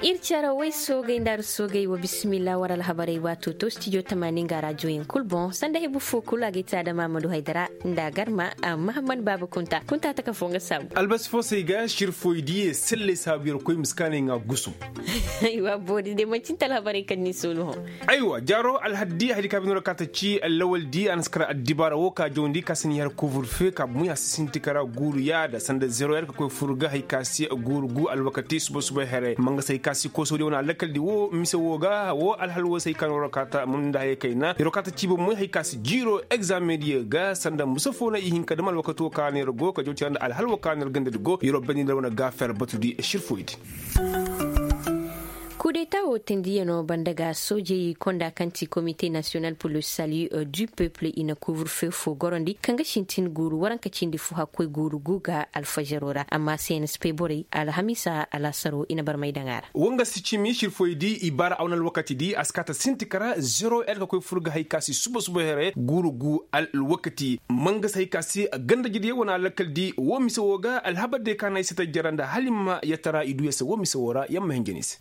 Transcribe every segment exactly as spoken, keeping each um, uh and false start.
Ir cere way soogay nda ar soogay wa bisimilla war alhabarey waato to stijo tamaani nga raajoyaŋ kul boŋ sanda hebu fo kul a ga ay te adama amadu haydara nda a garma. Mahammad baaba kunta kunta taka fo nga saabu albasi fo se ay ga sirfoy diye selley saabu yer koy ma si kaanay ŋa gusum. Aywa boori de manci nta alhabarey kaŋ ni soolu hõ. Aywa jaaro alhaddi haydi ka bino ra ka ta ci lawal di a na si kara addibaara wo ka jawandi ka si ni har kuvur fe ka bumuy a si sinti kara guuru yaada sanda zero yer ka koy fur ga hay ka se guuru gu alwakati suba suba here manga se hay ka se koso di wane alakal di wo mise wo ga wo alhal wo se hay ka no ra ka ta mun da hay kayna yer wo ka ta ci bumuy hay ka se jiiro egzame diyo ga sanda musa fo no i hin ka dam alwakato ka no yer go ka jawandi nda alhal wo ka no yer ganda di go yer wo bandi nda wane ga fer batu di sirfoy di. Kudeta wo teendiyaŋo banda ga soojey konda kaŋ ti komite nasiyonal pur le salu du peuple i na kuburfe fo gorondi kaŋ ga sintin guuru waranka cindi fo hakkoy guuru gu ga alfajaro ra amma se na si pay borey alhamiisa alaasaro i na barmay daŋ a ra. Wanga si cimi sirfoy di i baara aw na alwakati di a si kaata sinti kara zero el ka koy fur ga hay ka si suba suba here guuru gu alwakati manga si hay ka si ganda jidiyaŋ wane alakal di wo mise wo ga alhabar de ka na ay si tajjara nda hala i ma yatara i du ya se wo mise wo ra yamma hinja ni se.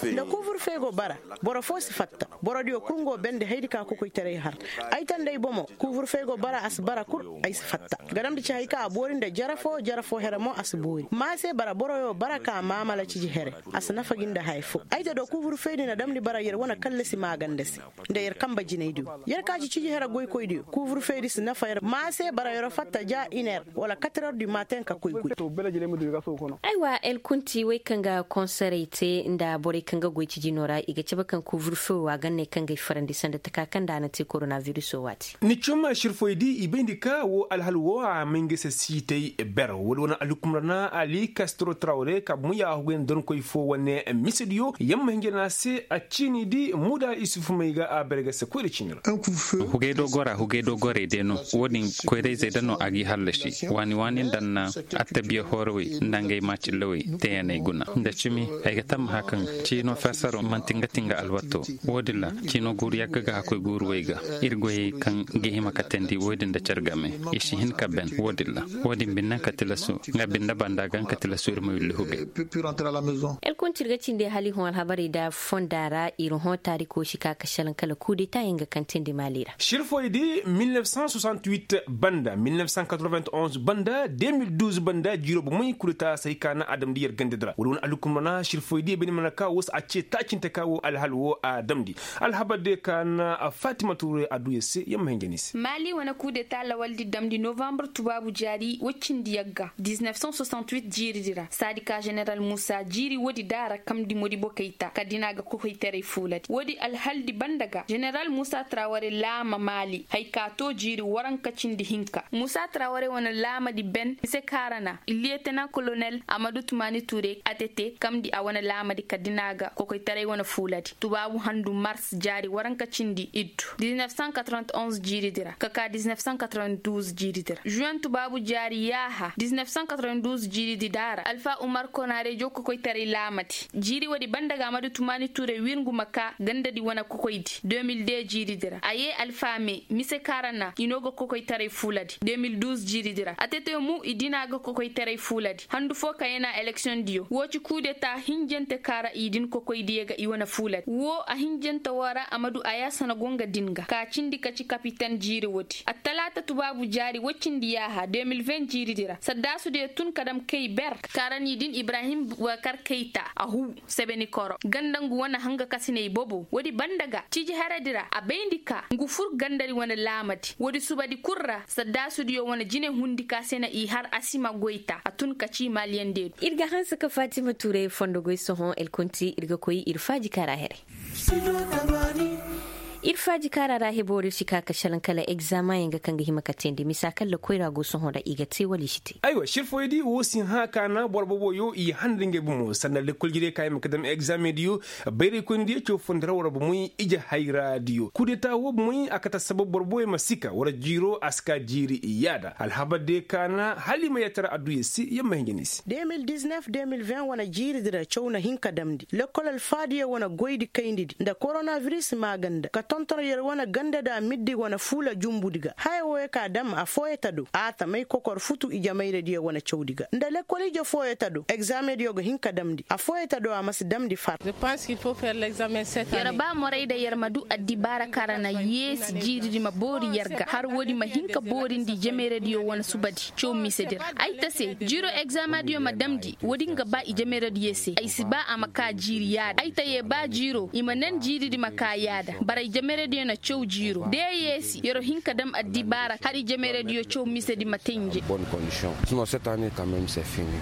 Nda kuburfe go bara boro fo si fatta. Borodiyo kul ngo bende haydi ka kokoytaray har. Ay tanda ay bomo kuburfe go bara a si bara kul ay si fatta. Gadamdi ci hay ka a boori nda jere fo jere fo here mo a si boori ma se bara boroyo bara ka maamala ciji here. A si nafa gi nda haya fo ay te do kuburfeydi na damndi bara yer wane kallasi maaganda se. Nda yer kanba jinaydiyo yer ka ci ciji here goykoydiyo kuburfeydi si nafa yer ma se bara yer fatta ja iner wala katreur du matin ka koy goy. Aywa el kunti wey kaŋ ga konserey te nda borey kaŋ ga goy ciji no ra i ga cabe kaŋ kuburfe wo a ganney kaŋ ga ay farandi sanda taka kaŋ nda a na te koronabiris wo waati. Ni cuma sirfoy di i bayndi ka wo alhal wo a may nga se siitay ber wala wane alhukumra na ali kastro trawre ka bumuyaahu ga ay na donkoy fo wane misediyo yamma hinja na se a ciini di muda isufu may ga a ber ga se koyra ciini ra. Hugay dogora hugay dogorey day no wo- din koyrayzey da no a g'i hallasi waani waani nda na attabiya hoorawey nda ngey maacillawey teeyaney guna nda cimi ay ga tammaha kaŋ ciino fersaro manti nga ti nga alwato. Wo- din ra ciino guuru yagga ga hakkoy guuru wey ga ir goyey kaŋ ga hima ka teendi wo- din nda care game i si hin ka ben wo- din ra wo- din binne ka tilasu nga binde banda ga nga ka tilasu ir ma willi hugay. El kunti ir ga cindi hali hõ alhabarey nda fonda ra ir hõ taariko si ka ka salaŋ kala kudeta yaŋ ga kaŋ teendi maali ra. Sirfoy di mil nef san soixante huit banda mil nef san quatre vingt onze banda deux mil douze banda jiiro bomey kudeta se hay ka na a damndi yer ganda di ra wala wane alhukumra na sirfoy di bay ni mana ka wo se a ce taacinte ka wo alhal wo a damndi. Alhabar de ka na fatima tuure a du yer se yamma hinja ni se. Maali wane kudeta lawaldi damndi novambar tubaabu jaari woy cindi yagga dix-neuf cent soixante-huit jiiridi ra saadi ka jeneral muusa jiiri woodi daara kamndi modibo kayta kala da ni a ga kokoytaray fuuladi woodi alhaldi banda ga jeneral muusa traware laama maali hay ka too jiiri waranka cindi hinka muusa traware wane laamadi ben mise kaarana liyetenan kolonel amadu tumaani ture atete kamndi a wane laamadi kala da ni a ga kokoytaray wane fuuladi tubaabu handu mars jaari waranka cindi iddu dix-neuf cent quatre-vingt-onze jiiridi ra ka ka dix-neuf cent quatre-vingt-douze jiiridi ra juwen tubaabu jaari yaaha dix-neuf cent quatre-vingt-douze jiiridi daara alfa umar konaare jow kokoytaray laamadi jiiri woodi banda ga amadu tumaani ture wirngu ma ka gandadi wane kokoydi deux mille deux jiiridi ra a yee alfa me mise kaarana i no ga kokoytaray fuuladi deux mille douze jiiridi ra atete mu i dina ga kokoytaray fuuladi handu fo ka yana eleksiyoŋ diyo woo ci kudeta hinjante kaŋ ra i din kokoydiyo ga i wane fuuladi woo a hinjante woo ra a ma du a yaasana go nga din ga ka cindi ka ci kapiten jiiri woodi attalaata tubaabu jaari woy cindi yaaha deux mille vingt jiiridi ra saddaasudiyo tun ka dam kay ber kaŋ ra ni din ibrahim bubakar kayta a huu sebenikoro ganda ngu wane hanga kasiney bobo woodi banda ga ciji haradi ra a bayndi ka ngu fur gandadi wane laamadi woodi subadi kul ra saddaasudiyo wane jine hundi ka se na i har a si ma goyta a tun ka ci maliyaŋ deedu ir ga hanse ka fatima tuuray fondo goy sohõ elkunti ir ga koy ir faaji kaara heray ir faaji kaara ra hebo ir si ka ka salaŋ kala egzamaŋ yaŋ ga kaŋ ga hima ka teendi misa kaŋ lakoyra go sohõ ra i ga te wala i si te aywa sirfoydi wo si hã ka na boro boboyo i handa ngey bomo sanda lekkol jirey ka hima ka dam egzamaŋ diyo bayraykoyni diyo caw fondo ra war bomoy ije hayra diyo kudeta wo bomoy a kate assabab boro boboyo ma si ka war jiiro a si ka jiiri yaada alhabar diyo ka na hala i ma yatara adduya se yamma hinja ni se deux mille dix-neuf deux mille vingt wane jiiridi ra caw na hin ka damndi lekkol alfaadiyo wane goydi kayndidi nda koronabiris maaganda ka Tonton yer wane ganda da middi wane fuula jumbudi ga haya wooyo ka dam affooyo ta do a tamay kokor futu ijemayradiyo wane cawdi ga nda lekkol ije fooyo ta do egzaamediyo ga hin ka damndi affooyo ta do a ma si damndi far. Yer ba moray da yer ma du addibaara kaŋ ra na yeesi jiiridi ma boori yer ga har woodi ma hin ka boorindi ijemayradiyo wane subadi caw misedi ra ay ta se jiiro egzaamediyo ma damndi woodi nga ba ijemayradiyo se ay si ba a ma ka jiiri yaada ay ta ye ba jiiro i ma nan jiiridi ma ka yaada bara ijemayradiyo na caw jiiro da ya yeesi yer hin ka dam addibaara har ijemayradiyo caw misedi ma tenje.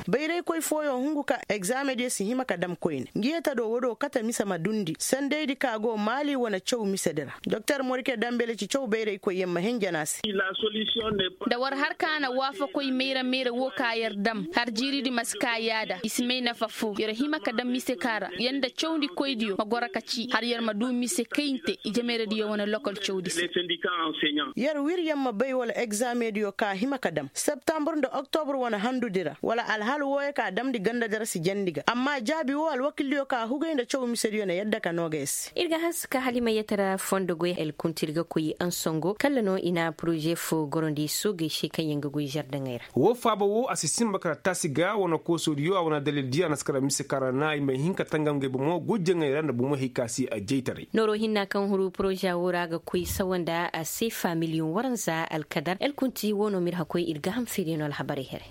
Bayraykoy fooyoŋ hungu ka egzaamediyo si hima ka dam koyne ngi ye ta do woodoo kate mise ma dundi sendaydi ka go maali wane caw misedi ra doktor morike dambele ci caw bayraykoyyaŋ ma henjen a se. Da war har ka na waafakoy mayra mayra woo ka yer dam har jiiridi ma si ka yaada i si may nafa foo yer hima ka dam mise ka ra yer nda cawndikoydiyo ma goro ka ci har yer ma du mise kayinte ijemayradiyo wane lokol cawdi se. Yer wir yer ma bay wala egzaamediyo ka hima ka dam septambur nda oktobur wane handudi ra wala alhal wooyo ka damndi gandadi ra si jandi ga amma jaabi woo alwakildiyo ka hugay nda caw misediyo na yadda ka noo ga yer se. Ir ga hanse ka halimayatara fondo goy el kunti ir ga koy ansongo kalla no i na poroze foo gorondi soogey se kaŋ yaŋ ga goy zardaŋey ra. Woo faaba woo a si sinba kala taasi ga wane koosodiyo a wane dalildiyo a na si kala mise kaŋ ra na i ma hin ka tangam ngey bomo guujaŋey ra nda bomo hay ka si a jaytaray. Nooroo hinna kaŋ huru poroze woo ra ga koy sawa nda a se faamiliyoŋ waranza alkadar el kunti woo no ma ir hakoy ir ga ham feeriyaŋo alhabarey here.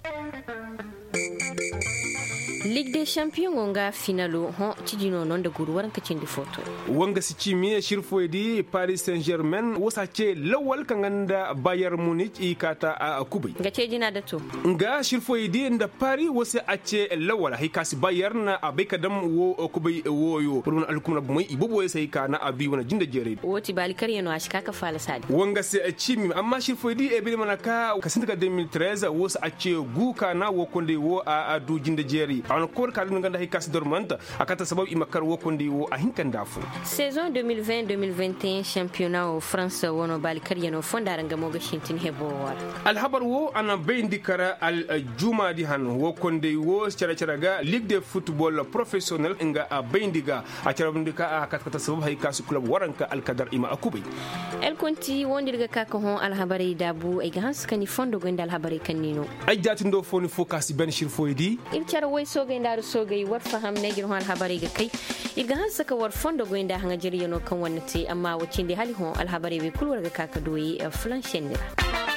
Lig de sanpiyoŋo nga finalo hõ ciji no no nda guuru waranka cindi footo. Woo nga si ciimi sirfoydi paris saint germain woo si a ce lawal kaŋ ga nda bayer munic i kaata a kubay. Nga ce jina da to. Nga sirfoydi nda paris woo si a ce lawal hay ka si bayer na a bay ka dam woo kubay wooyo wala wane alkuma na bomey i boboyo se hay ka na a du i wane jinde jeeray. Woo ti baali karyaŋo a si ka ka faala saadi woo nga se ciimi amma sirfoydi ebiri mana ka ka sinti ka deux mille treize woo si a ce gu ka na woo konday woo a du jinde jeeri a wane koor ka dun ganda hay ka si dormanta a kata sabab i ma kar woo konday woo a hin ka nda afo. Saison deux mille vingt deux mille vingt et un championnat woo france woo no baali karyaŋo fonda ra nga mo ga sintin heboo woo ra. Alhabar woo a na bayndi kar aljumaadi han woo konday woo cere-cere ga ligue de football professionnel nga a bayndi ga a cere bayndi ka a kata kata sabab hay ka si kulob waranka alkadar i ma a kubay. Elkonti woo nda ir ga ka ka hõ alhabarey daabu ay ga hanse ka ni fondo goy nda alhabarey kaŋ ni no. Ay jaati ndo foo ni foo ka si ben sirfoydi. Ir care way soogay nda aru soogay war faham ne ga ir hõ alhabarey ga kay. Ir ga hanse ka war fondo goy nda haŋajaryaŋo kaŋ war na te amma woo cindi hala i hõ alhabarey wey kulu war ga ka ka du ay fulansenni ra.